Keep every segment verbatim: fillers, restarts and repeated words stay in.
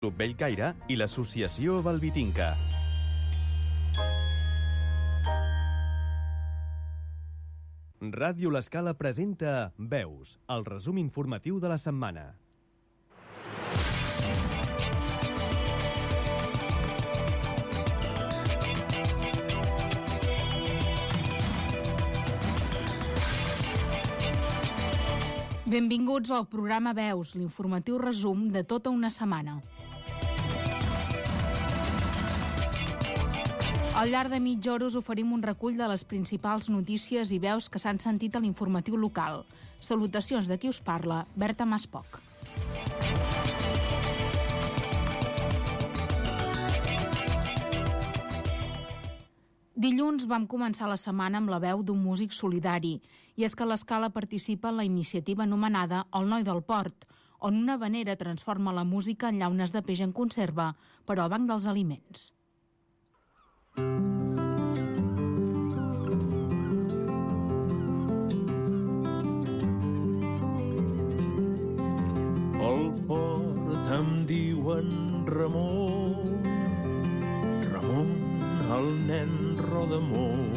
Club Bellcaire i l'Associació Valvitinca. Ràdio L'Escala presenta Veus, el resum informatiu de la setmana. Benvinguts al programa Veus, l'informatiu resum de tota una setmana. Al llarg de mitja hora us oferim un recull de les principals notícies i veus que s'han sentit a l'informatiu local. Salutacions de qui us parla, Berta Maspoc. Dilluns vam començar la setmana amb la veu d'un músic solidari, i és que l'Escala participa en la iniciativa anomenada El Noi del Port, on una havanera transforma la música en llaunes de peix en conserva per al Banc dels Aliments. Al port em diuen Ramon, Ramon, el nen Rodamón.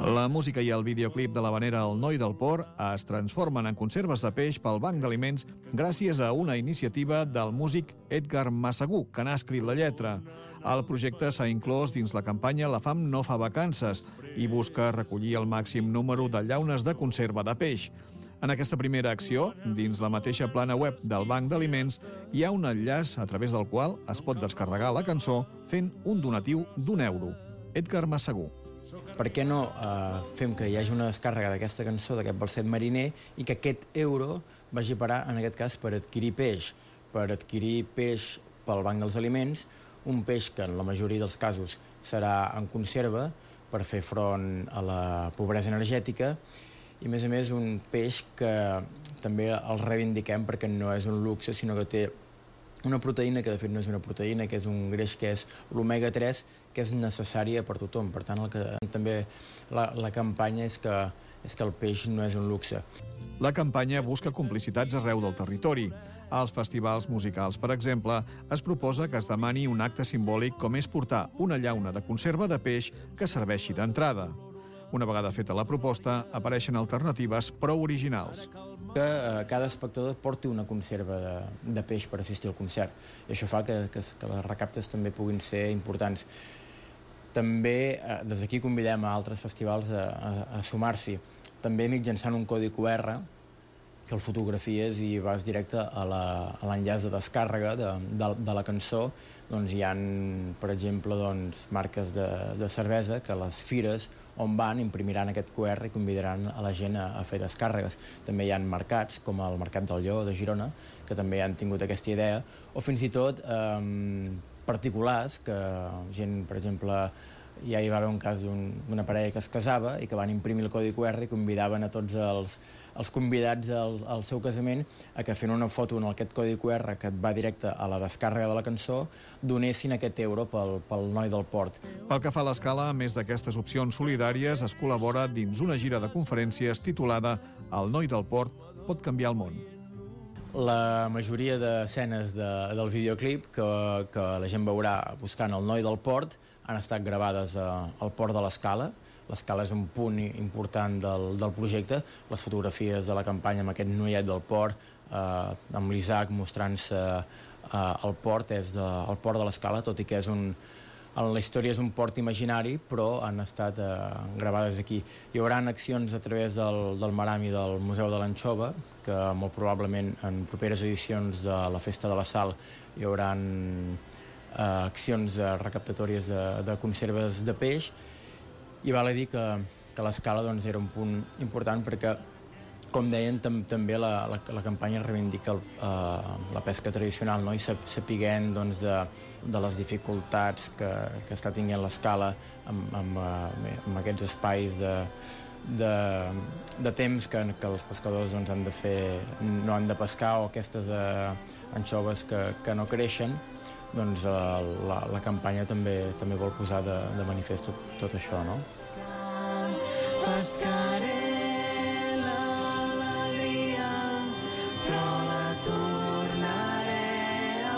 La música i el videoclip de l'havanera El Noi del Port es transformen en conserves de peix pel Banc d'Aliments gràcies a una iniciativa del músic Edgar Massagú, que n'ha escrit la lletra. El projecte s'ha inclòs dins la campanya La fam no fa vacances i busca recollir el màxim número de llaunes de conserva de peix. En aquesta primera acció, dins la mateixa plana web del Banc d'Aliments, hi ha un enllaç a través del qual es pot descarregar la cançó fent un donatiu d'un euro. Edgar Massagú. Per què no eh, fem que hi hagi una descàrrega d'aquesta cançó, d'aquest balset mariner, i que aquest euro vagi a parar, en aquest cas, per adquirir peix, per adquirir peix pel Banc dels Aliments, un peix que en la majoria dels casos serà en conserva per fer front a la pobresa energètica, i a més a més un peix que també el reivindiquem perquè no és un luxe, sinó que té una proteïna que de fet no és una proteïna, que és un greix que és l'omega tres, que és necessària per tothom. Per tant, el que, també la, la campanya és que, és que el peix no és un luxe. La campanya busca complicitats arreu del territori. Als festivals musicals, per exemple, es proposa que es demani un acte simbòlic com és portar una llauna de conserva de peix que serveixi d'entrada. Una vegada feta la proposta, apareixen alternatives prou originals. Que eh, cada espectador porti una conserva de, de peix per assistir al concert. I això fa que, que, que les recaptes també puguin ser importants. També, eh, des d'aquí convidem a altres festivals a, a, a sumar-s'hi. També mitjançant un codi cu erre, que el fotografies i vas directe a l'enllaç de descàrrega de, de, de la cançó. Doncs hi ha, per exemple, doncs, marques de, de cervesa que a les fires on van imprimiran aquest cu erre i convidaran a la gent a, a fer descàrregues. També hi ha mercats, com el Mercat del Lleó de Girona, que també han tingut aquesta idea, o fins i tot eh, particulars, que gent, per exemple, ja hi va haver un cas d'una parella que es casava i que van imprimir el codi cu erre i convidaven a tots els, els convidats al, al seu casament a que fent una foto en aquest codi cu erre que et va directe a la descàrrega de la cançó donessin aquest euro pel, pel Noi del Port. Pel que fa a l'Escala, a més d'aquestes opcions solidàries, es col·labora dins una gira de conferències titulada El Noi del Port pot canviar el món. La majoria d'escenes de, del videoclip que, que la gent veurà buscant el Noi del Port han estat gravades a, al port de l'Escala. L'Escala és un punt important del, del projecte. Les fotografies de la campanya amb aquest noiet del port, eh, amb l'Isaac mostrant-se eh, al port, és de, el port de l'Escala, tot i que és un, en la història és un port imaginari, però han estat eh, gravades aquí. Hi haurà accions a través del, del Maram i del Museu de l'Anxova, que molt probablement en properes edicions de la Festa de la Sal hi haurà eh, accions eh, recaptatòries de, de conserves de peix, i val a dir que, que l'Escala doncs, era un punt important perquè, com deien, tam, també la, la, la campanya reivindica el, eh, la pesca tradicional, no? I sapiguent doncs, de, de les dificultats que, que està tinguent l'Escala amb, amb, amb aquests espais de, de, de temps que, que els pescadors doncs, han de fer, no han de pescar, o aquestes eh, anxoves que, que no creixen, doncs eh, la, la campanya també, també vol posar de, de manifest tot, tot això, no? Pescaré l'alegria, però la tornaré a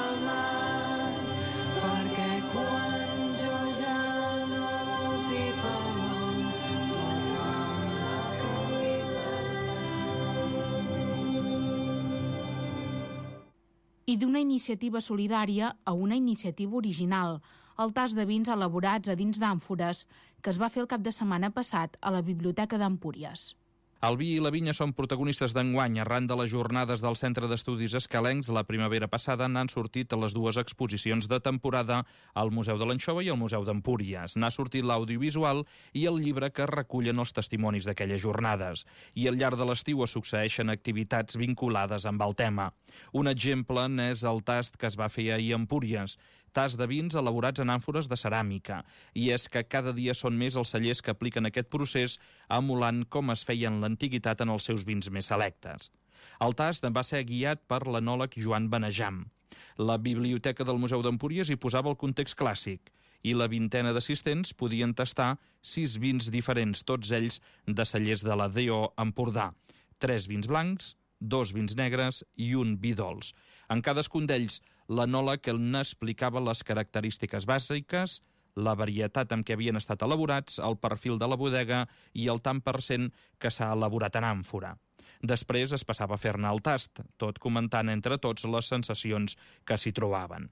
i d'una iniciativa solidària a una iniciativa original, el tast de vins elaborats a dins d'àmfores, que es va fer el cap de setmana passat a la Biblioteca d'Empúries. El vi i la vinya són protagonistes d'enguany. Arran de les jornades del Centre d'Estudis Escalencs, la primavera passada n'han sortit les dues exposicions de temporada al Museu de l'Anxova i al Museu d'Empúries. N'ha sortit l'audiovisual i el llibre que recullen els testimonis d'aquelles jornades. I al llarg de l'estiu es succeeixen activitats vinculades amb el tema. Un exemple n'és el tast que es va fer ahir a Empúries, tast de vins elaborats en àmfores de ceràmica. I és que cada dia són més els cellers que apliquen aquest procés, emulant com es feien l'antiguitat en els seus vins més selectes. El tast va ser guiat per l'enòleg Joan Benejam. La biblioteca del Museu d'Empúries hi posava el context clàssic i la vintena d'assistents podien tastar sis vins diferents, tots ells de cellers de la D O Empordà. Tres vins blancs, dos vins negres i un vi dolç. En cadascun d'ells, l'enòleg n'explicava les característiques bàsiques, la varietat amb què havien estat elaborats, el perfil de la bodega i el tant per cent que s'ha elaborat en àmfora. Després es passava a fer-ne el tast, tot comentant entre tots les sensacions que s'hi trobaven.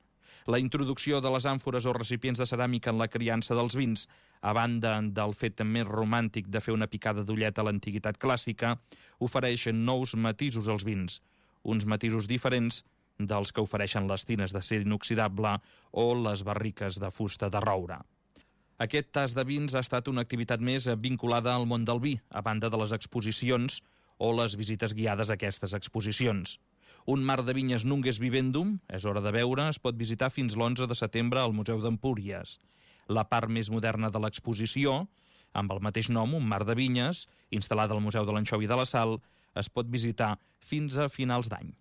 La introducció de les àmfores o recipients de ceràmica en la criança dels vins, a banda del fet més romàntic de fer una picada d'ullet a l'antiguitat clàssica, ofereix nous matisos als vins, uns matisos diferents dels que ofereixen les tines d'acer inoxidable o les barriques de fusta de roure. Aquest tast de vins ha estat una activitat més vinculada al món del vi, a banda de les exposicions o les visites guiades a aquestes exposicions. Un mar de vinyes Nungues Vivendum, és hora de veure, es pot visitar fins l'onze de setembre al Museu d'Empúries. La part més moderna de l'exposició, amb el mateix nom, un mar de vinyes, instal·lada al Museu de l'Anxova i de la Sal, es pot visitar fins a finals d'any.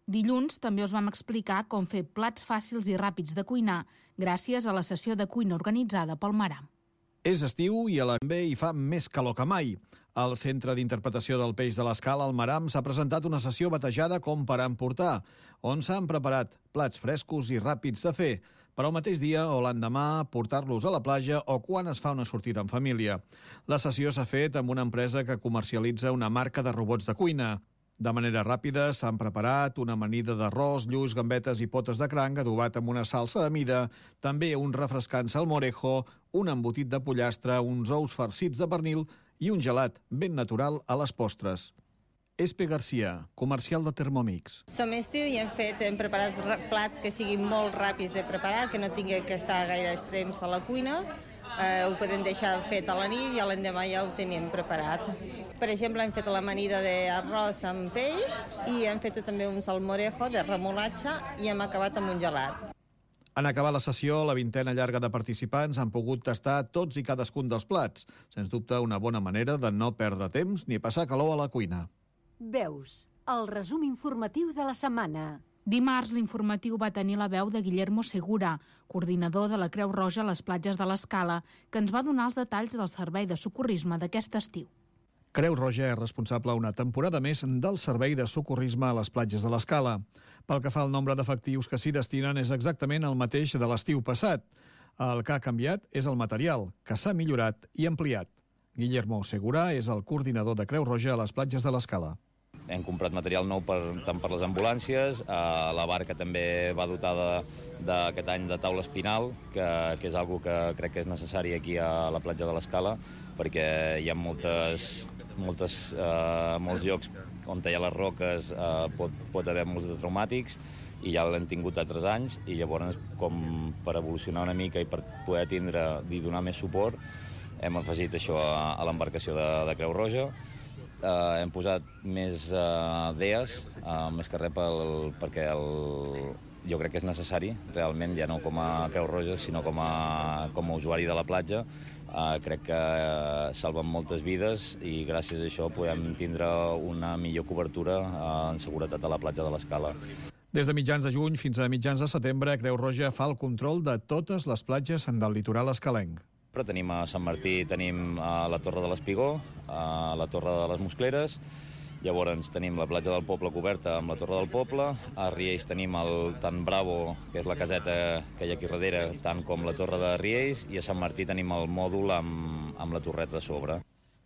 Dilluns també us vam explicar com fer plats fàcils i ràpids de cuinar gràcies a la sessió de cuina organitzada pel Maram. És estiu i a l'Envé hi fa més calor que mai. Al Centre d'Interpretació del Peix de l'Escala, al Maram, s'ha presentat una sessió batejada com per emportar, on s'han preparat plats frescos i ràpids de fer, per al mateix dia o l'endemà portar-los a la platja o quan es fa una sortida en família. La sessió s'ha fet amb una empresa que comercialitza una marca de robots de cuina. De manera ràpida s'han preparat una amanida d'arròs, lluç, gambetes i potes de cranc adobat amb una salsa de mida, també un refrescant salmorejo, un embotit de pollastre, uns ous farcits de pernil i un gelat ben natural a les postres. Espe Garcia, comercial de Thermomix. Som estiu i hem fet, hem preparat plats que siguin molt ràpids de preparar, que no tingui que estar gaire temps a la cuina. Eh, ho podem deixar fet a la nit i a l'endemà ja ho tenim preparat. Per exemple, hem fet l'amanida d'arròs amb peix i hem fet també un salmorejo de remolatxa i hem acabat amb un gelat. En acabar la sessió, la vintena llarga de participants han pogut tastar tots i cadascun dels plats. Sens dubte, una bona manera de no perdre temps ni passar calor a la cuina. Veus, el resum informatiu de la setmana. Dimarts, l'informatiu va tenir la veu de Guillermo Segura, coordinador de la Creu Roja a les platges de l'Escala, que ens va donar els detalls del servei de socorrisme d'aquest estiu. Creu Roja és responsable una temporada més del servei de socorrisme a les platges de l'Escala. Pel que fa al nombre d'efectius que s'hi destinen és exactament el mateix de l'estiu passat. El que ha canviat és el material, que s'ha millorat i ampliat. Guillermo Segura és el coordinador de Creu Roja a les platges de l'Escala. Hem comprat material nou per, tant per les ambulàncies, eh, la barca també va dotada d'aquest any de taula espinal, que, que és algo que crec que és necessari aquí a la platja de l'Escala, perquè hi ha moltes, moltes, eh, molts llocs on hi ha les roques, eh, pot, pot haver molts de traumàtics, i ja l'hem tingut altres anys, i llavors, com per evolucionar una mica i per poder tindre i donar més suport, hem afegit això a, a l'embarcació de, de Creu Roja. Uh, hem posat més uh, D E As, uh, més que res pel, perquè el, jo crec que és necessari, realment, ja no com a Creu Roja, sinó com a, com a usuari de la platja. Uh, crec que uh, salven moltes vides i gràcies a això podem tindre una millor cobertura uh, en seguretat a la platja de l'Escala. Des de mitjans de juny fins a mitjans de setembre, Creu Roja fa el control de totes les platges del litoral escalenc. Tenim a Sant Martí, tenim a la Torre de l'Espigó, a la Torre de les Moscleres, llavors tenim la platja del Poble coberta amb la Torre del Poble, a Riells tenim el Tan Bravo, que és la caseta que hi ha aquí darrere, tant com la Torre de Riells, i a Sant Martí tenim el mòdul amb, amb la torreta a sobre.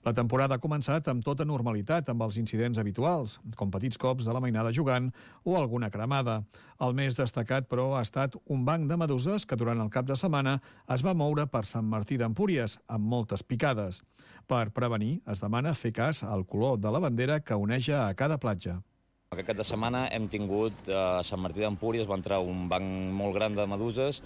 La temporada ha començat amb tota normalitat, amb els incidents habituals, com petits cops de la mainada jugant o alguna cremada. El més destacat, però, ha estat un banc de meduses que durant el cap de setmana es va moure per Sant Martí d'Empúries, amb moltes picades. Per prevenir, es demana fer cas al color de la bandera que oneja a cada platja. Aquest cap de setmana hem tingut a Sant Martí d'Empúries, va entrar un banc molt gran de meduses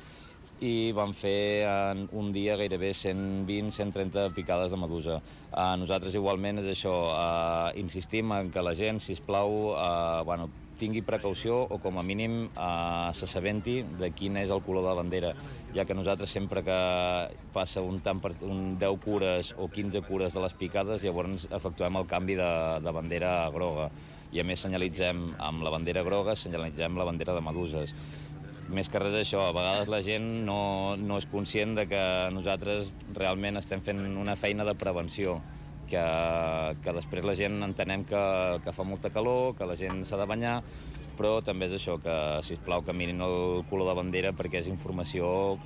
i van fer en un dia gairebé cent vint a cent trenta picades de medusa. Eh, nosaltres igualment és això, eh, insistim en que la gent, sisplau, eh, bueno, tingui precaució o com a mínim eh, s'assabenti de quin és el color de la bandera, ja que nosaltres sempre que passa un, tant per, un deu cures o quinze cures de les picades, llavors efectuem el canvi de, de bandera groga. I a més senyalitzem amb la bandera groga, senyalitzem la bandera de meduses. Més que res això, a vegades la gent no, no és conscient de que nosaltres realment estem fent una feina de prevenció, que, que després la gent entenem que, que fa molta calor, que la gent s'ha de banyar, però també és això, que sisplau que mirin el color de bandera perquè és informació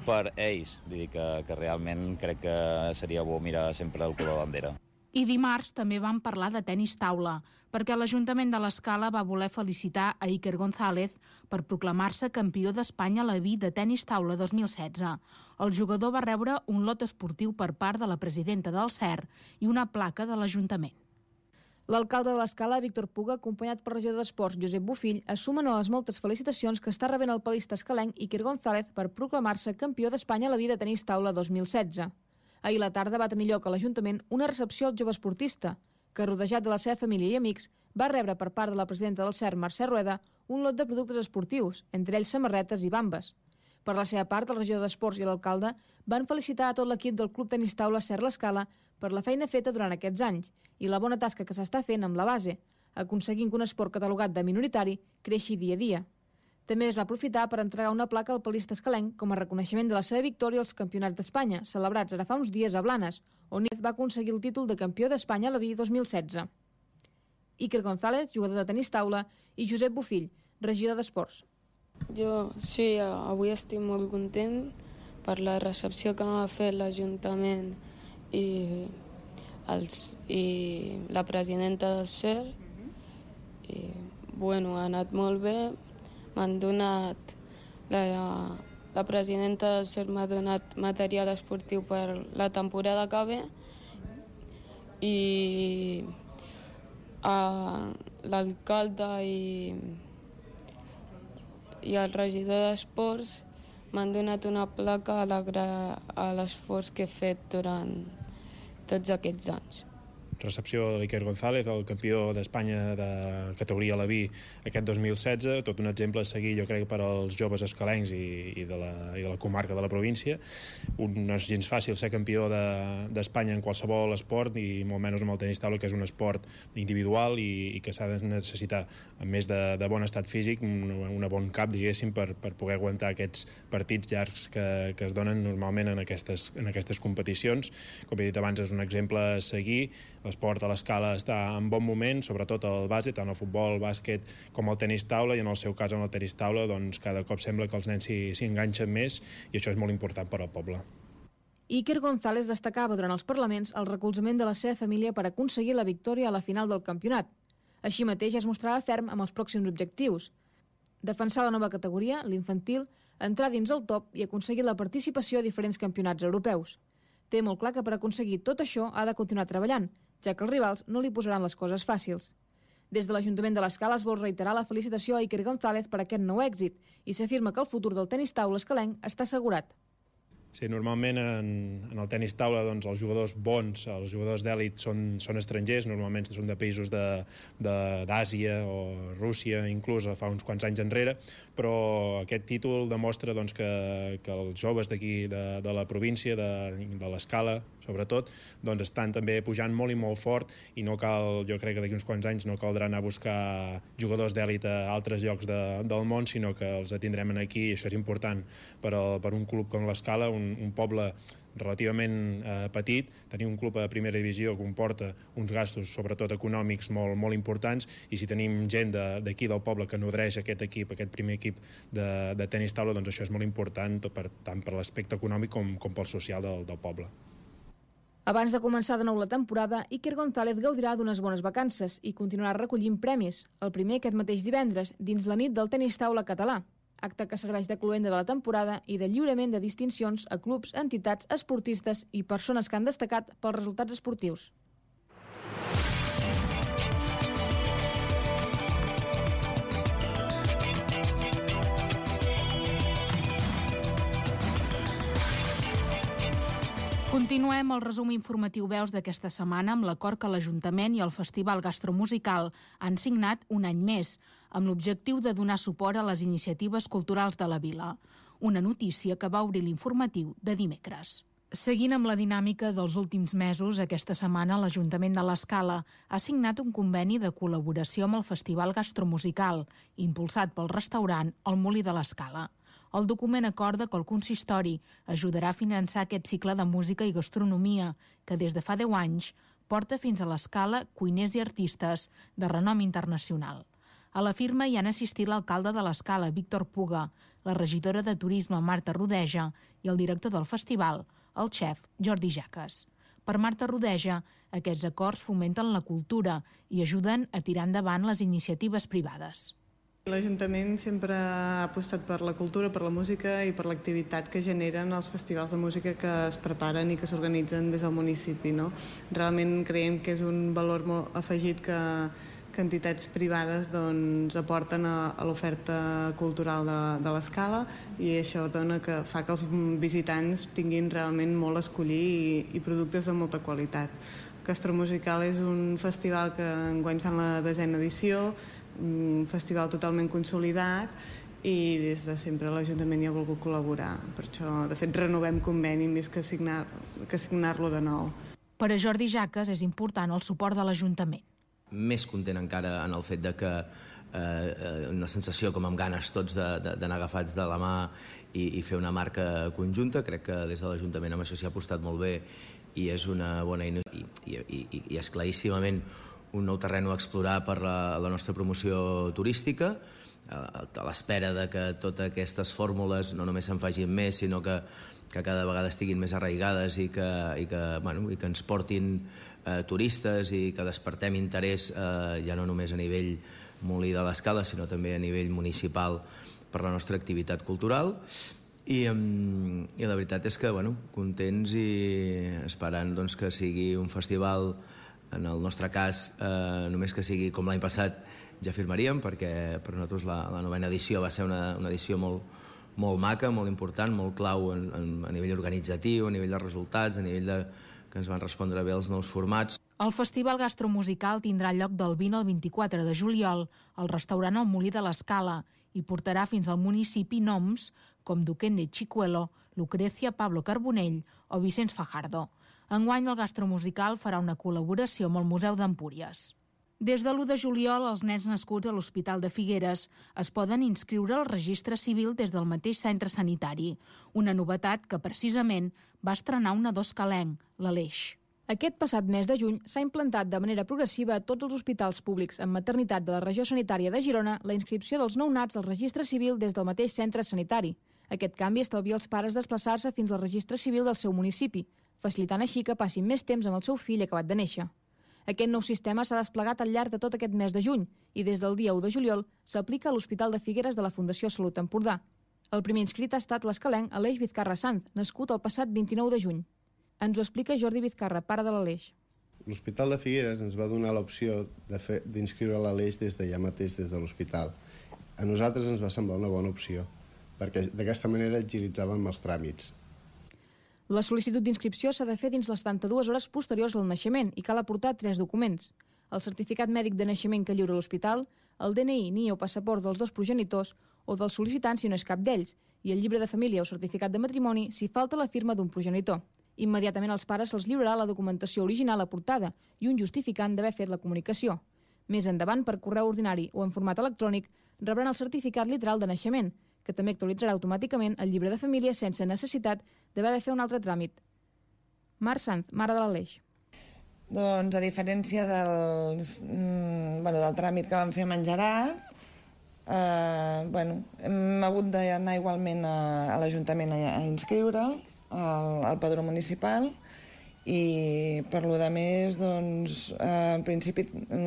per ells. Vull dir que, que realment crec que seria bo mirar sempre el color de bandera. I dimarts també vam parlar de tenis taula, perquè l'Ajuntament de l'Escala va voler felicitar a Iker González per proclamar-se campió d'Espanya a la V I de tenis taula dos mil setze. El jugador va rebre un lot esportiu per part de la presidenta del C E R i una placa de l'Ajuntament. L'alcalde de l'Escala, Víctor Puga, acompanyat pel regidor d'Esports, Josep Bofill, es sumen a les moltes felicitacions que està rebent el palista escalenc Iker González per proclamar-se campió d'Espanya a la V I de tenis taula dos mil setze. Ahir a la tarda va tenir lloc a l'Ajuntament una recepció al jove esportista, que, rodejat de la seva família i amics, va rebre per part de la presidenta del C E R, Mercè Rueda, un lot de productes esportius, entre ells samarretes i bambes. Per la seva part, el regidor d'Esports i l'alcalde van felicitar a tot l'equip del Club Tenis Taula C E R l'Escala per la feina feta durant aquests anys i la bona tasca que s'està fent amb la base, aconseguint que un esport catalogat de minoritari creixi dia a dia. També es va aprofitar per entregar una placa al palista escalenc com a reconeixement de la seva victòria als Campionats d'Espanya, celebrats ara fa uns dies a Blanes, on va aconseguir el títol de campió d'Espanya a la V I dos mil setze. Iker González, jugador de tenis taula, i Josep Bofill, regidor d'Esports. Jo sí, avui estic molt content per la recepció que m'ha fet l'Ajuntament i, els, i la presidenta del C E R. I, bueno, ha anat molt bé. M'han donat, la, la presidenta del C E R m'ha donat material esportiu per la temporada que ve i l'alcalde i, i el regidor d'Esports m'han donat una placa a l'esforç que he fet durant tots aquests anys. Recepció de l'Iker González, el campió d'Espanya de categoria a la V I aquest dos mil setze, tot un exemple a seguir, jo crec, per als joves escalencs i, i, de la, i de la comarca de la província. Un, no és gens fàcil ser campió d'Espanya de, en qualsevol esport, i molt menys amb el tenis taula, que és un esport individual i, i que s'ha de necessitar, a més de, de bon estat físic, un, un bon cap, diguéssim, per, per poder aguantar aquests partits llargs que, que es donen normalment en aquestes, en aquestes competicions. Com he dit abans, és un exemple a seguir. L'esport a l'Escala està en bon moment, sobretot el bàsquet, tant el futbol, el bàsquet com el tenis taula, i en el seu cas en el tenis taula doncs cada cop sembla que els nens s'hi enganxen més, i això és molt important per al poble. Iker González destacava durant els parlaments el recolzament de la seva família per aconseguir la victòria a la final del campionat. Així mateix es mostrava ferm amb els pròxims objectius: defensar la nova categoria, l'infantil, entrar dins el top i aconseguir la participació a diferents campionats europeus. Té molt clar que per aconseguir tot això ha de continuar treballant, ja que els rivals no li posaran les coses fàcils. Des de l'Ajuntament de l'Escala es vol reiterar la felicitació a Iker González per aquest nou èxit i s'afirma que el futur del tenis taula escalenc està assegurat. Sí, normalment en, en el tenis taula doncs, els jugadors bons, els jugadors d'èlit són, són estrangers, normalment són de països d'Àsia o Rússia, inclús fa uns quants anys enrere, però aquest títol demostra doncs, que, que els joves d'aquí, de, de la província, de, de l'Escala, sobretot, doncs estan també pujant molt i molt fort, i no cal, jo crec que d'aquí uns quants anys no caldrà anar a buscar jugadors d'èlit a altres llocs de, del món, sinó que els tindrem aquí, i això és important per, a, per un club com l'Escala, un, un poble relativament eh, petit. Tenir un club a primera divisió comporta uns gastos, sobretot econòmics, molt, molt importants, i si tenim gent d'aquí de, del poble que nodreix aquest equip, aquest primer equip de, de tenis taula, doncs això és molt important, per, tant per l'aspecte econòmic com, com pel social del, del poble. Abans de començar de nou la temporada, Iker González gaudirà d'unes bones vacances i continuarà recollint premis, el primer aquest mateix divendres, dins la nit del tenis taula català, acte que serveix de cloenda de la temporada i de lliurament de distincions a clubs, entitats, esportistes i persones que han destacat pels resultats esportius. Continuem el resum informatiu Veus d'aquesta setmana amb l'acord que l'Ajuntament i el Festival Gastromusical han signat un any més, amb l'objectiu de donar suport a les iniciatives culturals de la vila. Una notícia que va obrir l'informatiu de dimecres. Seguint amb la dinàmica dels últims mesos, aquesta setmana l'Ajuntament de l'Escala ha signat un conveni de col·laboració amb el Festival Gastromusical, impulsat pel restaurant El Molí de l'Escala. El document acorda que el consistori ajudarà a finançar aquest cicle de música i gastronomia que des de fa deu anys porta fins a l'Escala cuiners i artistes de renom internacional. A la firma hi han assistit l'alcalde de l'Escala, Víctor Puga, la regidora de Turisme, Marta Rodeja, i el director del festival, el xef Jordi Jaques. Per Marta Rodeja, aquests acords fomenten la cultura i ajuden a tirar endavant les iniciatives privades. L'Ajuntament sempre ha apostat per la cultura, per la música i per l'activitat que generen els festivals de música que es preparen i que s'organitzen des del municipi. No? Realment creiem que és un valor molt afegit que, que entitats privades doncs, aporten a, a l'oferta cultural de, de l'Escala i això dona que fa que els visitants tinguin realment molt a escollir i, i productes de molta qualitat. Gastromusical és un festival que enguany fan la desena edició, un festival totalment consolidat i des de sempre l'Ajuntament hi ha volgut col·laborar. Per això, de fet, renovem conveni més que signar, que signar-lo de nou. Per a Jordi Jaques és important el suport de l'Ajuntament. Més content encara en el fet de que eh, una sensació com amb ganes tots d'anar agafats de la mà i, i fer una marca conjunta. Crec que des de l'Ajuntament amb això s'hi ha apostat molt bé i és una bona i, i, i, i és claríssimament un nou terreny a explorar per la, la nostra promoció turística, a l'espera de que totes aquestes fórmules no només se'n facin més, sinó que, que cada vegada estiguin més arraigades i que, i que, bueno, i que ens portin eh, turistes i que despertem interès eh, ja no només a nivell Molí de l'Escala, sinó també a nivell municipal per la nostra activitat cultural. I, i la veritat és que, bueno, contents i esperant doncs, que sigui un festival. En el nostre cas, eh, només que sigui com l'any passat, ja firmaríem, perquè per nosaltres la, la novena edició va ser una, una edició molt, molt maca, molt important, molt clau en, en, a nivell organitzatiu, a nivell de resultats, a nivell de que ens van respondre bé els nous formats. El Festival Gastromusical tindrà lloc del vint al vint-i-quatre de juliol al restaurant El Molí de l'Escala i portarà fins al municipi noms com Duquén de Chicuelo, Lucrecia Pablo Carbonell o Vicenç Fajardo. Enguany el Gastromusical farà una col·laboració amb el Museu d'Empúries. Des de l'u de juliol, els nens nascuts a l'Hospital de Figueres es poden inscriure al registre civil des del mateix centre sanitari, una novetat que precisament va estrenar un nadó escalenc, l'Aleix. Aquest passat mes de juny s'ha implantat de manera progressiva a tots els hospitals públics amb maternitat de la regió sanitària de Girona la inscripció dels nounats al registre civil des del mateix centre sanitari. Aquest canvi estalvia als pares desplaçar-se fins al registre civil del seu municipi, facilitant així que passin més temps amb el seu fill acabat de néixer. Aquest nou sistema s'ha desplegat al llarg de tot aquest mes de juny i des del dia u de juliol s'aplica a l'Hospital de Figueres de la Fundació Salut Empordà. El primer inscrit ha estat l'escalenc Aleix Vizcarra Sanz, nascut el passat vint-i-nou de juny. Ens ho explica Jordi Vizcarra, pare de l'Aleix. L'Hospital de Figueres ens va donar l'opció d'inscriure l'Aleix des d'allà mateix, des de l'hospital. A nosaltres ens va semblar una bona opció, perquè d'aquesta manera agilitzàvem els tràmits. La sol·licitud d'inscripció s'ha de fer dins les setanta-dues hores posteriors al naixement i cal aportar tres documents. El certificat mèdic de naixement que lliura l'hospital, el D N I, N I E o passaport dels dos progenitors o del sol·licitant si no és cap d'ells, i el llibre de família o certificat de matrimoni si falta la firma d'un progenitor. Immediatament als pares se'ls lliurarà la documentació original aportada i un justificant d'haver fet la comunicació. Més endavant, per correu ordinari o en format electrònic, rebran el certificat literal de naixement, que també actualitzarà automàticament el llibre de família sense necessitat d'haver de fer un altre tràmit. Mar Sanz, mare de l'Aleix. Doncs a diferència dels, mm, bueno, del tràmit que vam fer amb en Gerard, eh, bueno, hem hagut d'anar igualment a, a l'Ajuntament a, a inscriure al, al padró municipal i per lo de més, doncs, eh, en principi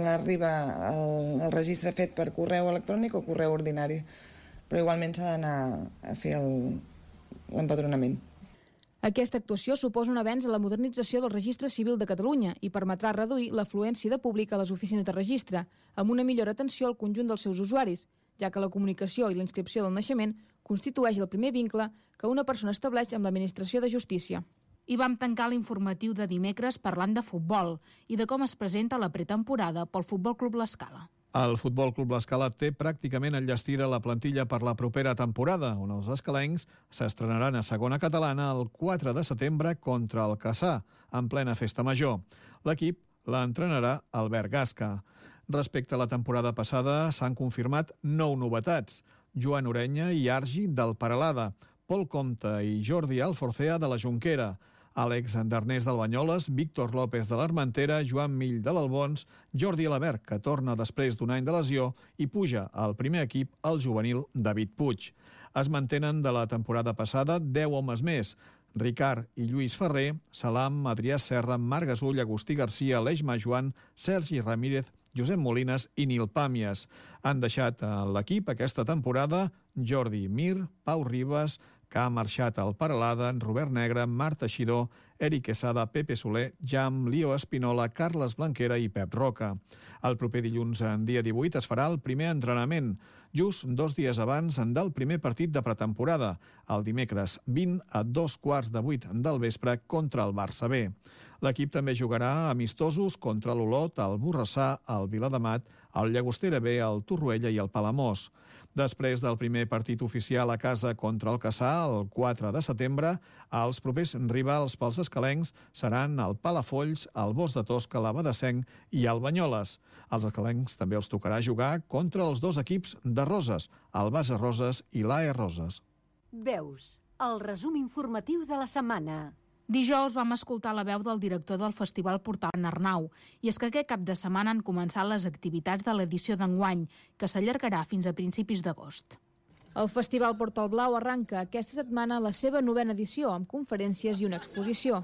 arriba el, el registre fet per correu electrònic o correu ordinari, però igualment s'ha d'anar a fer l'empadronament. Aquesta actuació suposa un avenç a la modernització del Registre Civil de Catalunya i permetrà reduir l'afluència de públic a les oficines de registre, amb una millor atenció al conjunt dels seus usuaris, ja que la comunicació i la inscripció del naixement constitueix el primer vincle que una persona estableix amb l'administració de justícia. I vam tancar l'informatiu de dimecres parlant de futbol i de com es presenta la pretemporada pel Futbol Club L'Escala. El Futbol Club L'Escala té pràcticament enllestida la plantilla per la propera temporada, on els escalencs s'estrenaran a segona catalana el quatre de setembre contra el Cassà, en plena festa major. L'equip l'entrenarà Albert Gasca. Respecte a la temporada passada, s'han confirmat nou novetats. Joan Orenya i Argi del Paralada, Pol Comte i Jordi Alforcea de la Jonquera, Àlex Darnés del Banyoles, Víctor López de l'Armentera, Joan Mill de l'Albons, Jordi Alabert, que torna després d'un any de lesió, i puja al primer equip el juvenil David Puig. Es mantenen de la temporada passada deu homes més: Ricard i Lluís Ferrer, Salam, Adrià Serra, Marc Gasull, Agustí Garcia, Aleix Majoan, Sergi Ramírez, Josep Molines i Nil Pàmies. Han deixat a l'equip aquesta temporada Jordi Mir, Pau Ribas, que ha marxat al Paralada, Robert Negre, Marc Teixidor, Eric Quesada, Pepe Soler, Jam, Lio Espinola, Carles Blanquera i Pep Roca. El proper dilluns, en dia divuit, es farà el primer entrenament, just dos dies abans del primer partit de pretemporada, el dimecres vint a dos quarts de vuit del vespre contra el Barça B. L'equip també jugarà amistosos contra l'Olot, el Borrassà, el Viladamat, el Llagostera B, el Torroella i el Palamós. Després del primer partit oficial a casa contra el Cassà, el quatre de setembre, els propers rivals pels escalencs seran el Palafolls, el Bosc de Tosca, l'Abadessenc i el Banyoles. Als escalencs també els tocarà jugar contra els dos equips de Roses, el Base Roses i l'A E Roses. Veus, el resum informatiu de la setmana. Dijous vam escoltar la veu del director del Festival Portal Arnau, i és que aquest cap de setmana han començat les activitats de l'edició d'enguany, que s'allargarà fins a principis d'agost. El Festival Portal Blau arranca aquesta setmana la seva novena edició, amb conferències i una exposició.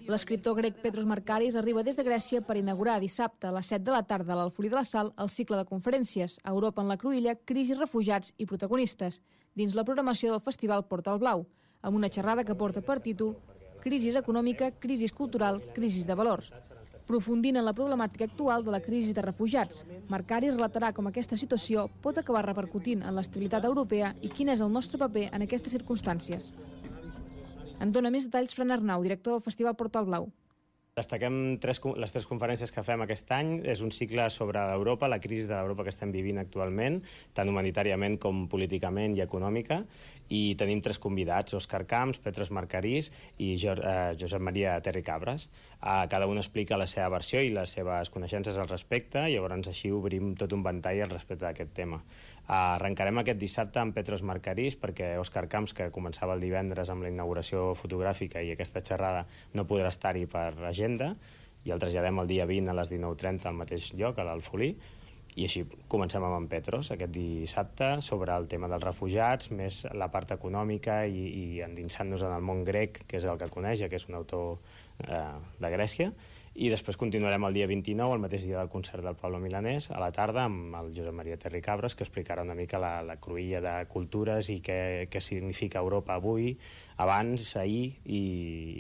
L'escriptor grec Petros Markaris arriba des de Grècia per inaugurar dissabte a les set de la tarda a l'Alfolí de la Sal el cicle de conferències Europa en la cruïlla, crisi, refugiats i protagonistes, dins la programació del Festival Portal Blau, amb una xerrada que porta per títol Crisi econòmica, crisi cultural, crisi de valors. Aprofundint en la problemàtica actual de la crisi de refugiats, Markaris relatarà com aquesta situació pot acabar repercutint en l'estabilitat europea i quin és el nostre paper en aquestes circumstàncies. En dona més detalls Fran Arnau, director del Festival Portal Blau. Destaquem tres, les tres conferències que fem aquest any. És un cicle sobre Europa, la crisi de l'Europa que estem vivint actualment, tant humanitàriament com políticament i econòmica, i tenim tres convidats, Òscar Camps, Petros Markaris i jo, eh, Josep Maria Terri Cabres. Eh, cada un explica la seva versió i les seves coneixences al respecte, i llavors així obrim tot un ventall al respecte d'aquest tema. Eh, arrencarem aquest dissabte amb Petros Markaris, perquè Òscar Camps, que començava el divendres amb la inauguració fotogràfica i aquesta xerrada, no podrà estar-hi per agenda, i el traslladem el dia vint a les dinou trenta al mateix lloc, a l'Alfolí, i així comencem amb en Petros aquest dissabte sobre el tema dels refugiats, més la part econòmica i, i endinsant-nos en el món grec, que és el que coneix, que és un autor eh, de Grècia. I després continuarem el dia vint-i-nou, el mateix dia del concert del Pablo Milanés, a la tarda, amb el Josep Maria Terri Cabres, que explicarà una mica la, la cruïlla de cultures i què, què significa Europa avui, abans, ahir, i,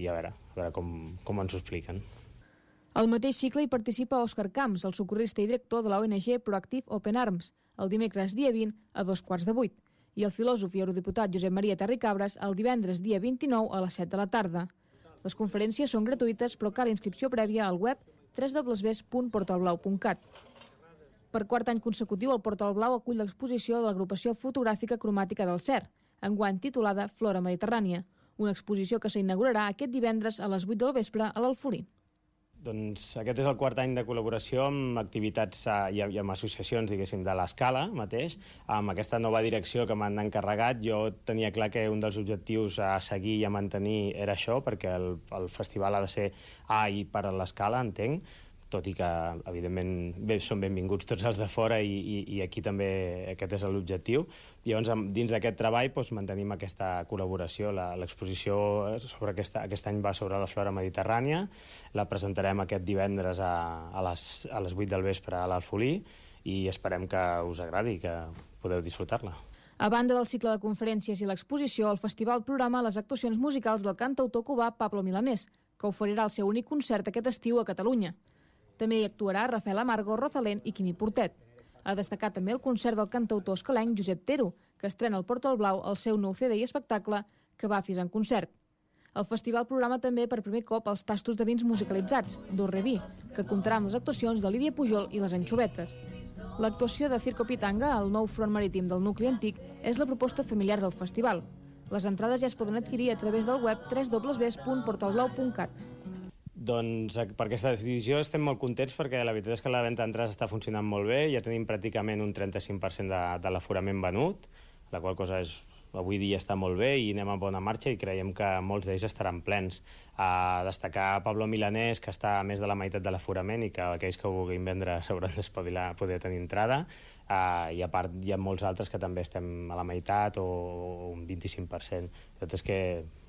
i a veure, a veure com, com ens ho expliquen. Al mateix cicle hi participa Òscar Camps, el socorrista i director de la O N G Proactive Open Arms, el dimecres dia vint a dos quarts de vuit, i el filòsof i eurodiputat Josep Maria Terri Cabres el divendres dia vint-i-nou a les set de la tarda. Les conferències són gratuïtes, però cal inscripció prèvia al web w w w punt portalblau punt cat. Per quart any consecutiu, el Portal Blau acull l'exposició de l'agrupació fotogràfica cromàtica del C E R, enguany titulada Flora Mediterrània, una exposició que s'inaugurarà aquest divendres a les vuit del vespre a l'Alfolí. Doncs aquest és el quart any de col·laboració amb activitats i amb associacions, diguéssim, de l'Escala mateix. Amb aquesta nova direcció que m'han encarregat, jo tenia clar que un dels objectius a seguir i a mantenir era això, perquè el, el festival ha de ser a i per a l'Escala, entenc, tot i que, evidentment, bé, són benvinguts tots els de fora i, i, i aquí també aquest és l'objectiu. Llavors, dins d'aquest treball, doncs, mantenim aquesta col·laboració. L'exposició sobre aquesta, aquest any va sobre la flora mediterrània, la presentarem aquest divendres a, a, les, a les vuit del vespre a l'Alfolí i esperem que us agradi i que podeu disfrutar-la. A banda del cicle de conferències i l'exposició, el festival programa les actuacions musicals del cantautor cubà Pablo Milanés, que oferirà el seu únic concert aquest estiu a Catalunya. També hi actuarà Rafael Amargo, Rosalén i Quimi Portet. Ha destacat també el concert del cantautor escalenc Josep Tero, que estrena al Portal Blau el seu nou C D i espectacle Cavafis en concert. El festival programa també per primer cop els tastos de vins musicalitzats, d'Orrebí, que comptarà amb les actuacions de Lídia Pujol i les Anxovetes. L'actuació de Circo Pitanga, el nou front marítim del nucli antic, és la proposta familiar del festival. Les entrades ja es poden adquirir a través del web w w w punt portalblau punt cat. Doncs per aquesta decisió estem molt contents perquè la veritat és que la venda d'entrades està funcionant molt bé, ja tenim pràcticament un trenta-cinc per cent de, de l'aforament venut, la qual cosa és, avui dia està molt bé i anem a bona marxa i creiem que molts d'ells estaran plens. A destacar Pablo Milanés, que està a més de la meitat de l'aforament i que aquells que ho vulguin vendre s'hauran d'espavilar a poder tenir entrada, uh, i a part hi ha molts altres que també estem a la meitat o un vint-i-cinc per cent. La veritat és que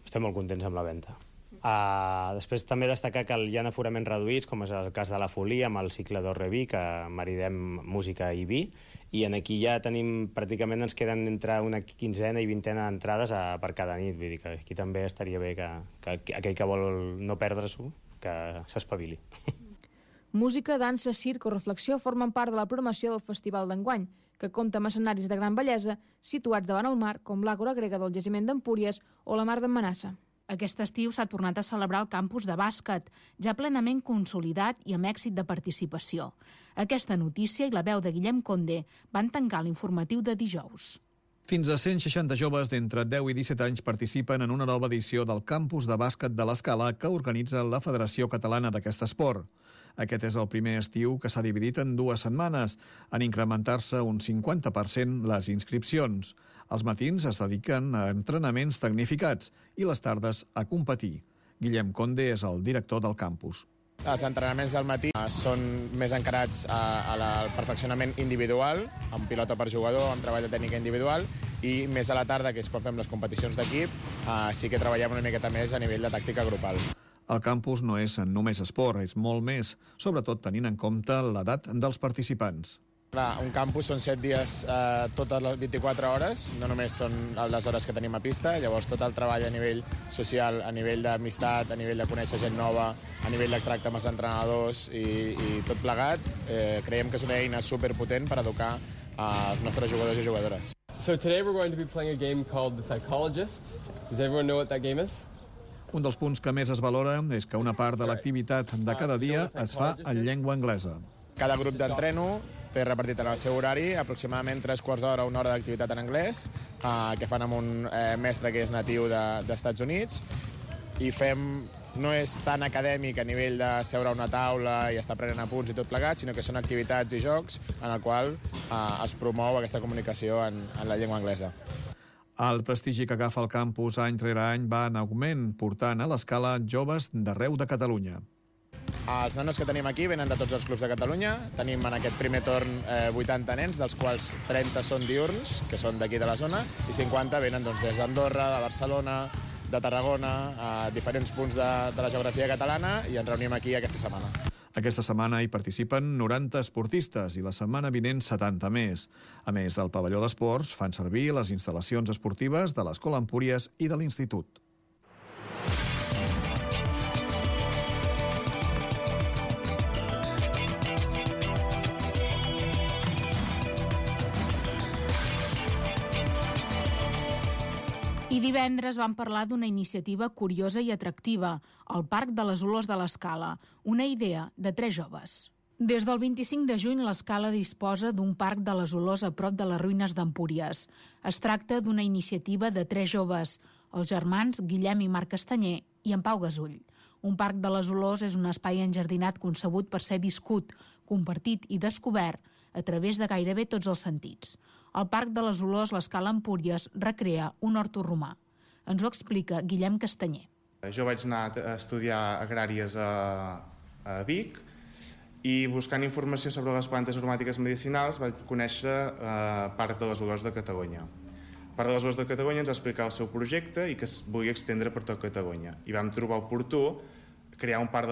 estem molt contents amb la venda. Uh, després també destacar que hi ha aforaments reduïts, com és el cas de la Folia amb el cicle d'Orrebí, que maridem música i vi, i en aquí ja tenim, pràcticament ens queden entre una quinzena i vintena d'entrades per cada nit, vull dir que aquí també estaria bé que, que aquell que vol no perdre-s'ho, que s'espavili. Música, dansa, circ o reflexió formen part de la programació del Festival d'enguany, que compta amb escenaris de gran bellesa situats davant el mar, com l'Àgora Grega del Jaciment d'Empúries o la Mar d'en Manassa. Aquest estiu s'ha tornat a celebrar el campus de bàsquet, ja plenament consolidat i amb èxit de participació. Aquesta notícia i la veu de Guillem Conde van tancar l'informatiu de dijous. Fins a cent seixanta joves d'entre deu i disset anys participen en una nova edició del campus de bàsquet de l'Escala que organitza la Federació Catalana d'aquest esport. Aquest és el primer estiu que s'ha dividit en dues setmanes, en incrementar-se un cinquanta per cent les inscripcions. Els matins es dediquen a entrenaments tecnificats i les tardes a competir. Guillem Conde és el director del campus. Els entrenaments del matí són més encarats a, a la, al perfeccionament individual, amb pilota per jugador, amb treball de tècnica individual, i més a la tarda, que és quan fem les competicions d'equip, eh, sí que treballem una miqueta més a nivell de tàctica grupal. El campus no és només esport, és molt més, sobretot tenint en compte l'edat dels participants. Clar, un campus són set dies eh, totes les vint-i-quatre hores, no només són les hores que tenim a pista, llavors tot el treball a nivell social, a nivell d'amistat, a nivell de conèixer gent nova, a nivell de tracte amb els entrenadors i, i tot plegat, eh, creiem que és una eina superpotent per educar els nostres jugadors i jugadores. So today we're going to be playing a game called The Psychologist. Does everyone know what that game is? Un dels punts que més es valora és que una part de l'activitat de cada dia es fa en llengua anglesa. Cada grup d'entreno té repartit en el seu horari aproximadament tres quarts d'hora o una hora d'activitat en anglès, eh, que fan amb un eh, mestre que és natiu de, d'Estats Units, i fem, no és tan acadèmic a nivell de seure a una taula i estar prenent apunts i tot plegat, sinó que són activitats i jocs en el qual eh, es promou aquesta comunicació en, en la llengua anglesa. El prestigi que agafa el campus any rere any va en augment, portant a l'Escala joves d'arreu de Catalunya. Els nanos que tenim aquí venen de tots els clubs de Catalunya. Tenim en aquest primer torn eh, vuitanta nens, dels quals trenta són diurns, que són d'aquí de la zona, i cinquanta venen doncs, des d'Andorra, de Barcelona, de Tarragona, a diferents punts de, de la geografia catalana, i ens reunim aquí aquesta setmana. Aquesta setmana hi participen noranta esportistes i la setmana vinent setanta més. A més del pavelló d'esports, fan servir les instal·lacions esportives de l'Escola Empúries i de l'Institut. I divendres vam parlar d'una iniciativa curiosa i atractiva, el Parc de les Olors de l'Escala, una idea de tres joves. Des del vint-i-cinc de juny, l'Escala disposa d'un Parc de les Olors a prop de les ruïnes d'Empúries. Es tracta d'una iniciativa de tres joves, els germans Guillem i Marc Castanyer i en Pau Gasull. Un Parc de les Olors és un espai enjardinat concebut per ser viscut, compartit i descobert a través de gairebé tots els sentits. Al Parc de les Olors, l'Escala Empúries recrea un horto romà. Ens ho explica Guillem Castanyer. Jo vaig anar a estudiar agràries a, a Vic I buscant informació sobre les plantes aromàtiques medicinals vaig conèixer eh, Parc de les Olors de Catalunya. Parc de les Olors de Catalunya ens va explicar el seu projecte i que es volia extendre per tot Catalunya. I vam trobar oportú crear un parc de